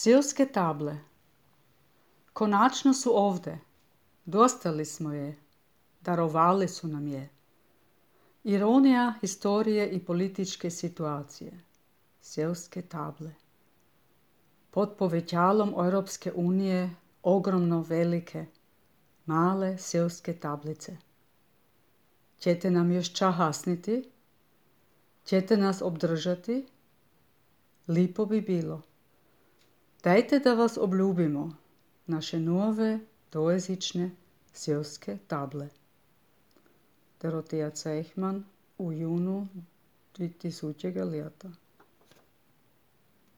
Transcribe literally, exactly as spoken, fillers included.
Seoske table. Konačno su ovdje. Dostali smo je. Darovali su nam je. Ironija historije i političke situacije. Seoske table. Pod povećalom Europske unije ogromno velike, male seoske tablice. Ćete nam još čahasniti? Ćete nas obdržati? Lipo bi bilo. Dajte da vas obljubimo, naše nove dvojezične seoske table. Dorotea Cejchman u junu dvije tisuće leta.